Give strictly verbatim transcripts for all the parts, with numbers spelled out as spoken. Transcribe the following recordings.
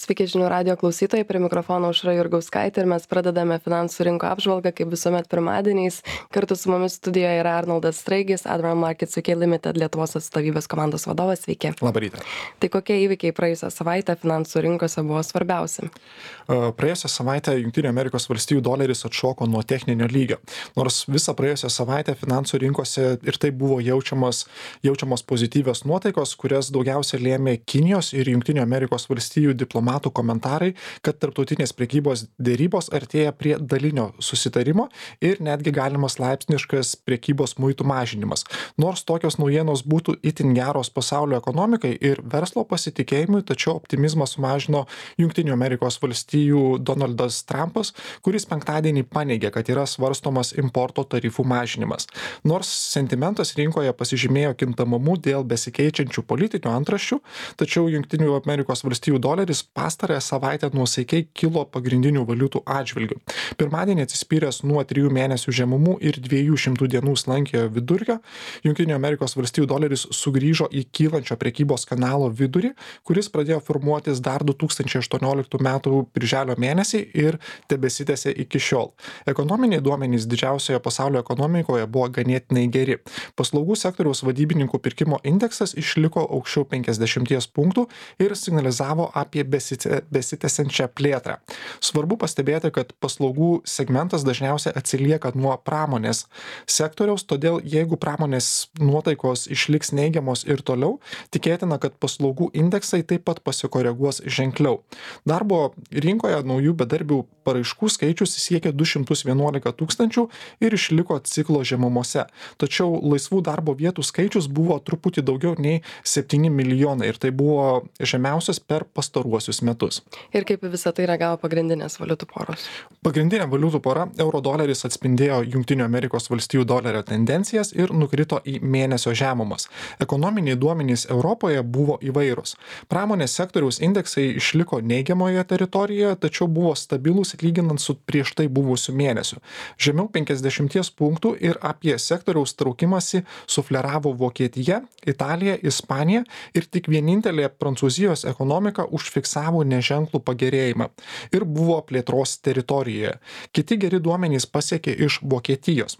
Sveiki žinių radio klausytojai, prie mikrofono Aušra Jurgauskaitė ir mes pradedame finansų rinko apžvalgą, kaip visuomet pirmadieniais. Kartu su mumis studijoje yra Arnoldas Straigis, Admiral Markets U K Limited Lietuvos atstovybės komandos vadovas. Sveiki. Labą rytą. Tai kokie įvykiai praėjusią savaitę finansų rinkose buvo svarbiausi? Praėjusią savaitę Junktinių Amerikos valstijų doleris atšoko nuo techninio lygio. Nors visą praėjusią savaitę finansų rinkose ir taip buvo jaučiamas, jaučiamos pozityvios nuotaikos, kurias daugiausia lėmė Kinijos ir Junktinių Amerikos valstijų diplomatų komentarai, kad tarptautinės prekybos dėrybos artėja prie dalinio susitarimo ir netgi galimas laipsniškas prekybos muitų mažinimas. Nors tokios naujienos būtų itin geros pasaulio ekonomikai ir verslo pasitikėjimui, tačiau optimizmą sumažino Junktinių Amerikos valstijų Donaldas Trumpas, kuris penktadienį paneigė, kad yra svarstomas importo tarifų mažinimas. Nors sentimentas rinkoje pasižymėjo kintamumu dėl besikeičiančių politinių antraščių, tačiau Junktinių Amerikos valstijų doleris pastarąją savaitę nuosaikiai kilo pagrindinių valiutų atžvilgių. Pirmadienį atsispyręs nuo trijų mėnesių žemumų ir dviejų šimtų dienų slankiojo vidurkio, Junktinių Amerikos valstijų doleris sugrįžo į kylančio prekybos kanalo vidurį, kuris pradėjo formuotis dar du tūkstančiai aštuonioliktų metų birželio mėnesį ir tebesitęsė iki šiol. Ekonominiai duomenys didžiausioje pasaulio ekonomikoje buvo ganėtinai geri. Paslaugų sektoriaus vadybininkų pirkimo indeksas išliko aukščiau penkiasdešimties punktų ir signalizavo apie besitęsiančią plėtrą. Svarbu pastebėti, kad paslaugų segmentas dažniausiai atsilieka nuo pramonės sektoriaus, todėl jeigu pramonės nuotaikos išliks neigiamos ir toliau, tikėtina, kad paslaugų indeksai taip pat pasikoreguos ženkliau. Darbo rinkoje naujų bedarbių paraiškų skaičius siekė du šimtus vienuolika tūkstančių ir išliko ciklo žemumose. Tačiau laisvų darbo vietų skaičius buvo truputį daugiau nei septyni milijonai ir tai buvo žemiausias per pastaruosius metus. Ir kaip visą tai reagavo pagrindinės valiutų poros? Pagrindinė valiutų pora euro doleris atspindėjo Junktinių Amerikos valstijų dolerio tendencijas ir nukrito į mėnesio žemumas. Ekonominiai duomenys Europoje buvo įvairūs. Pramonės sektoriaus indeksai išliko neigiamoje teritorijoje, tačiau buvo stabilūs lyginant su prieš tai buvusiu mėnesiu. Žemiau penkiasdešimties punktų ir apie sektoriaus traukimąsi sufleravo Vokietija, Italija, Ispanija ir tik vienintelė Prancūzijos ekonomika užfiksavo neženklų pagerėjimą ir buvo plėtros teritorijoje. Kiti geri duomenys pasiekė iš Vokietijos,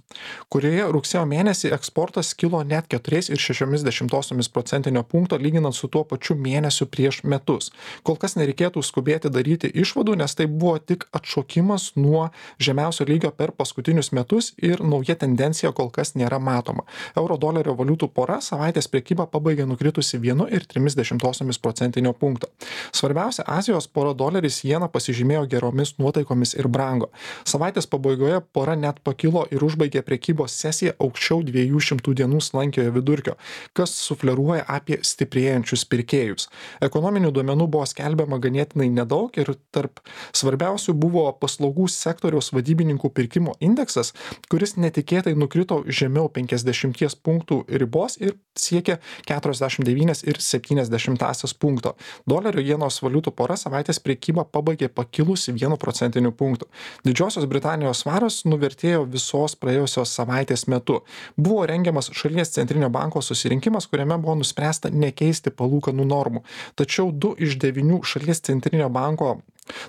kurioje rugsėjo mėnesį eksportas kilo net keturi ir šeši dešimtosios procentinio punkto lyginant su tuo pačiu mėnesiu prieš metus. Kol kas nereikėtų skubėti daryti išvadų, nes tai buvo tik atšokimas nuo žemiausio lygio per paskutinius metus ir nauja tendencija kol kas nėra matoma. Euro dolerio valiutų pora savaitės prekybą pabaigė nukritusi vienu ir trimis dešimtosiomis procentinio punkto. Svarbiausia, Azijos pora doleris jena pasižymėjo geromis nuotaikomis ir brango. Savaitės pabaigoje pora net pakilo ir užbaigė prekybos sesiją aukščiau dviejų šimtų dienų slankiojo vidurkio, kas sufleruoja apie stiprėjančius pirkėjus. Ekonominių duomenų buvo skelbiama ganėtinai nedaug ir tarp svarbiausių buvo paslaugų sektoriaus vadybininkų pirkimo indeksas, kuris netikėtai nukrito žemiau penkiasdešimties punktų ribos ir siekė keturiasdešimt devynis ir septynias dešimtąsias punkto. Dolerio jenos valiutų pora savaitės prekybą pabaigė pakilusi vienu procentiniu punktu. Didžiosios Britanijos svaras nuvertėjo visos praėjusios savaitės metu. Buvo rengiamas šalies centrinio banko susirinkimas, kuriame buvo nuspręsta nekeisti palūkanų normų. Tačiau du iš devynių šalies centrinio banko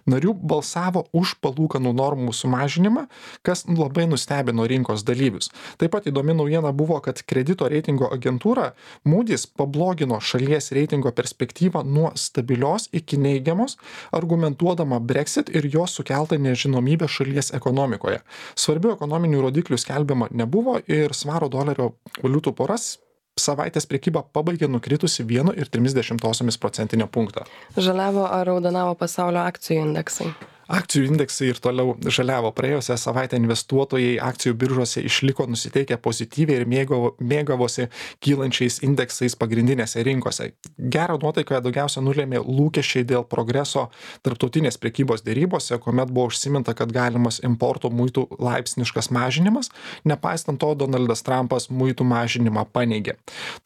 narių balsavo už palūkanų normų sumažinimą, kas labai nustebino rinkos dalyvius. Taip pat įdomi naujiena buvo, kad kredito reitingo agentūra Moody's pablogino šalies reitingo perspektyvą nuo stabilios iki neigiamos, argumentuodama Brexit ir jos sukeltą nežinomybę šalies ekonomikoje. Svarbių ekonominių rodiklių skelbiama nebuvo ir svaro dolerio valiutų poras savaitės prekybą pabaigė nukritusi vienu ir trimis dešimtosiomis procentinio punkto. Žaliavo ar raudonavo pasaulio akcijų indeksai? Akcijų indeksai ir toliau žaliavo. Praėjusią savaitę investuotojai akcijų biržose išliko nusiteikę pozityviai ir mėgavo, mėgavosi kylančiais indeksais pagrindinėse rinkose. Gerą nuotaiką daugiausia nulėmė lūkesčiai dėl progreso tarptautinės prekybos dėrybose, kuomet buvo užsiminta, kad galimas importo muitų laipsniškas mažinimas. Nepaisant to, Donaldas Trumpas muitų mažinimą paneigė.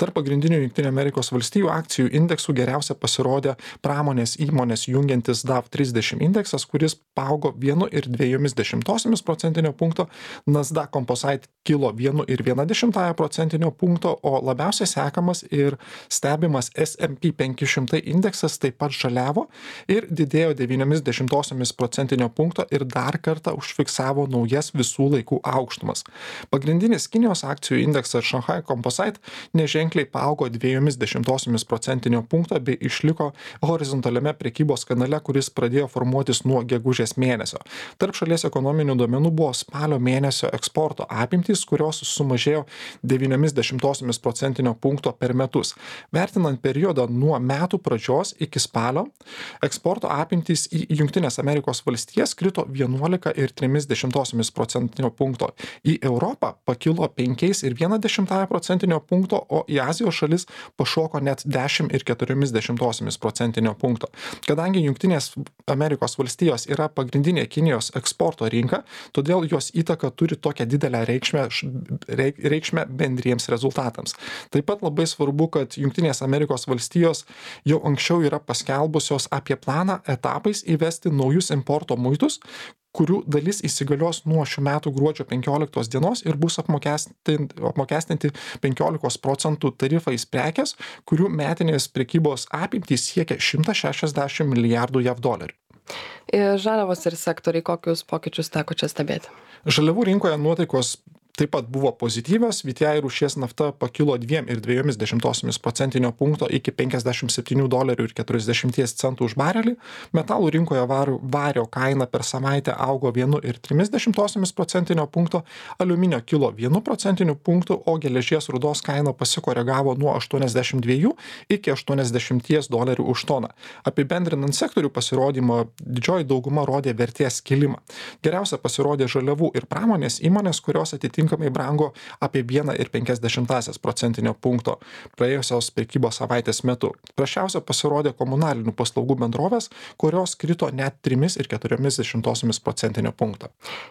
Tarp pagrindinių Junktinių Amerikos valstijų akcijų indeksų geriausia pasirodė pramonės įmonės jungiantis D A V trisdešimt indeksas, kuris kuris paaugo vienu ir dviejomis dešimtosiomis procentinio punkto, Nasdaq Composite kilo vienu ir viena dešimtąja procentinio punkto, o labiausiai sekamas ir stebimas S and P penki šimtai indeksas taip pat žaliavo ir didėjo devyniomis dešimtosiomis procentinio punkto ir dar kartą užfiksavo naujas visų laikų aukštumas. Pagrindinis Kinijos akcijų indeksas Shanghai Composite neženkliai paaugo dviejomis dešimtosiomis procentinio punkto bei išliko horizontaliame prekybos kanale, kuris pradėjo formuotis nuo gegužės mėnesio. Tarp šalies ekonominių duomenų buvo spalio mėnesio eksporto apimtys, kurios sumažėjo devyniomis dešimtosiomis procentinio punkto per metus. Vertinant periodą nuo metų pradžios iki spalio, eksporto apimtys į Jungtines Amerikos valstijas krito vienuolika ir trimis dešimtosiomis procentinio punkto. Į Europą pakilo penkiais ir viena dešimtąja procentinio punkto, o į Azijos šalis pašoko net dešimt ir keturiomis dešimtosiomis procentinio punkto. Kadangi Jungtinės Amerikos valstijos yra pagrindinė Kinijos eksporto rinka, todėl jos įtaka turi tokią didelę reikšmę, reikšmę bendriems rezultatams. Taip pat labai svarbu, kad Jungtinės Amerikos valstijos jau anksčiau yra paskelbusios apie planą etapais įvesti naujus importo muitus, kurių dalis įsigalios nuo šių metų gruodžio penkioliktos dienos ir bus apmokestinti, apmokestinti penkiolikos procentų tarifais prekės, kurių metinės prekybos apimtys siekia šimtą šešiasdešimt milijardų jav dolerių. Ir žaliavos ir sektoriai, kokius pokyčius teko čia stebėti? Žaliavų rinkoje nuotaikos taip pat buvo pozityvios, V T I rūšies nafta pakilo dviem ir dviejomis dešimtosiomis procentinio punkto iki penkiasdešimt septynių dolerių ir keturiasdešimties centų už barelį. Metalų rinkoje vario, vario kaina per savaitę augo vienu ir trimis dešimtosiomis procentinio punkto, aliuminio kilo vienu procentiniu punktu, o geležies rūdos kaina pasikoregavo nuo aštuoniasdešimt dviejų iki aštuoniasdešimties dolerių už toną. Apibendrinant sektorių pasirodymą, didžioji dauguma rodė vertės kilimą. Geriausia pasirodė žaliavų ir pramonės įmonės, kurios atitinka brango apie vieną ir penkias dešimtąsias procentinio punkto praėjusios prekybos savaitės metu. Prašiausia pasirodė komunalinių paslaugų bendrovės, kurios krito net trimis ir keturiomis dešimtosiomis procentinio punkto.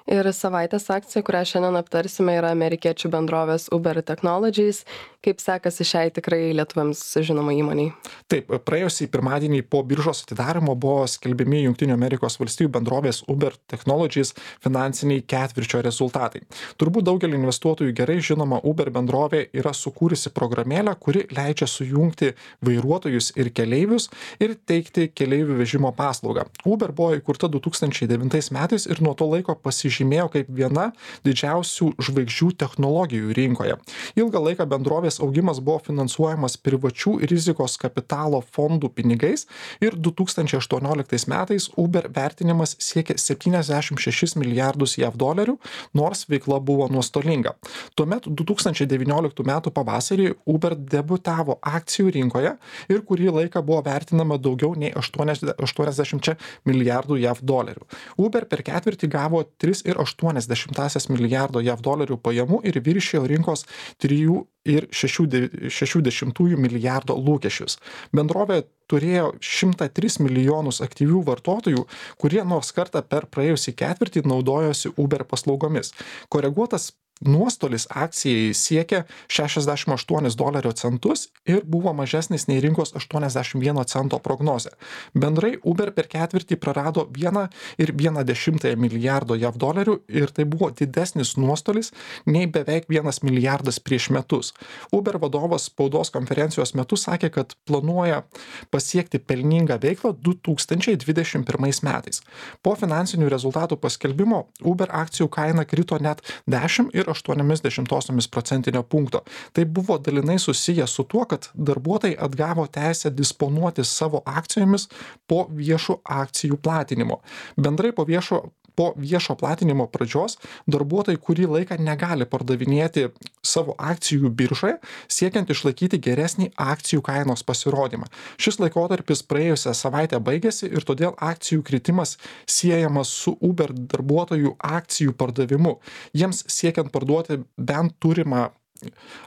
Ir savaitės akcija, kurią šiandien aptarsime, yra amerikiečių bendrovės Uber Technologies. Kaip sekasi šiai tikrai lietuviams žinomai įmoniai? Taip, praėjusį pirmadienį po biržos atidarimo buvo skelbiami Jungtinių Amerikos valstijų bendrovės Uber Technologies finansiniai ketvirčio rezultatai. Turbūt daugelį investuotojų gerai žinoma Uber bendrovė yra sukūrusi programėlę, kuri leidžia sujungti vairuotojus ir keleivius ir teikti keleivių vežimo paslaugą. Uber buvo įkurta du tūkstančiai devintais metais ir nuo to laiko pasižymėjo kaip viena didžiausių žvaigždžių technologijų rinkoje. Ilgą laiką bendrovės augimas buvo finansuojamas privačių rizikos kapitalo fondų pinigais ir du tūkstančiai aštuonioliktais metais Uber vertinimas siekė septyniasdešimt šešis milijardus jav dolerių, nors veikla buvo nuostolinga. Tuomet du tūkstančiai devynioliktų metų pavasarį Uber debiutavo akcijų rinkoje ir kurį laiką buvo vertinama daugiau nei aštuoniasdešimt milijardų jav dolerių. Uber per ketvirtį gavo tris ir aštuonias dešimtąsias milijardo jav dolerių pajamų ir viršijo rinkos trijų ir šešių dešimtųjų milijardo lūkesčius. Bendrovė turėjo šimtą tris milijonus aktyvių vartotojų, kurie nors kartą per praėjusį ketvirtį naudojosi Uber paslaugomis. Koreguotas nuostolis akcijai siekia šešiasdešimt aštuonis dolerio centus ir buvo mažesnis nei rinkos aštuoniasdešimt vieno cento prognozė. Bendrai Uber per ketvirtį prarado vieną ir vieną dešimtąją milijardo jav dolerių ir tai buvo didesnis nuostolis nei beveik vienas milijardas prieš metus. Uber vadovas spaudos konferencijos metu sakė, kad planuoja pasiekti pelningą veiklą du tūkstančiai dvidešimt pirmais metais. Po finansinių rezultatų paskelbimo Uber akcijų kaina krito net dešimt ir aštuonias dešimtosiomis procentinio punkto. Tai buvo dalinai susiję su tuo, kad darbuotojai atgavo teisę disponuoti savo akcijomis po viešo akcijų platinimo. Bendrai po viešo Po viešo platinimo pradžios darbuotojai kurį laiką negali pardavinėti savo akcijų biržoje, siekiant išlaikyti geresnį akcijų kainos pasirodymą. Šis laikotarpis praėjusią savaitę baigėsi ir todėl akcijų kritimas siejamas su Uber darbuotojų akcijų pardavimu. Jiems siekiant parduoti bent turimą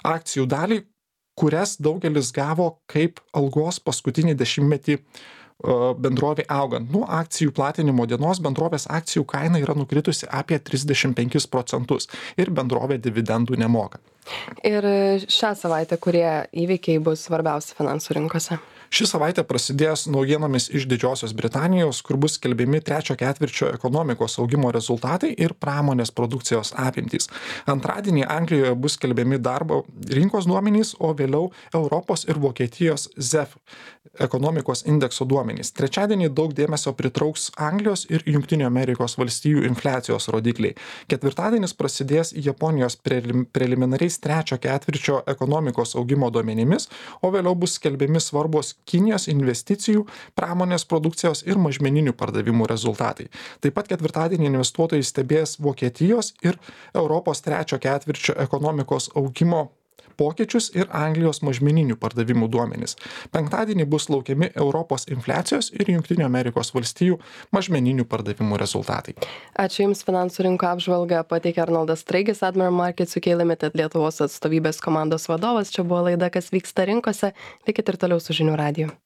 akcijų dalį, kurias daugelis gavo kaip algos paskutinį dešimtmetį bendrovė augant. Nuo akcijų platinimo dienos bendrovės akcijų kaina yra nukritusi apie trisdešimt penkis procentus ir bendrovė dividendų nemoka. Ir šią savaitę, kurie įvykiai bus svarbiausi finansų rinkose? Ši savaitė prasidės naujienomis iš Didžiosios Britanijos, kur bus skelbiami trečio ketvirčio ekonomikos augimo rezultatai ir pramonės produkcijos apimtys. Antradienį Anglijoje bus skelbiami darbo rinkos duomenys, o vėliau Europos ir Vokietijos Z E F ekonomikos indekso duomenys. Trečiadienį daug dėmesio pritrauks Anglijos ir Junktinių Amerikos valstijų infliacijos rodikliai. Ketvirtadienis prasidės Japonijos prelim, preliminariais trečio ketvirčio ekonomikos augimo duomenimis, o vėliau bus skelbiami svarbus Kinijos investicijų, pramonės produkcijos ir mažmeninių pardavimų rezultatai. Taip pat ketvirtadienį investuotojai stebės Vokietijos ir Europos trečio ketvirčio ekonomikos augimo pokyčius ir Anglijos mažmeninių pardavimų duomenys. Penktadienį bus laukiami Europos infliacijos ir Junktinių Amerikos valstijų mažmeninių pardavimų rezultatai. Ačiū Jums, finansų rinko apžvalgą pateikė Arnoldas Straigis, Admiral Markets U K Limited Lietuvos atstovybės komandos vadovas. Čia buvo laida Kas vyksta rinkose. Likit ir toliau su žinių radiju.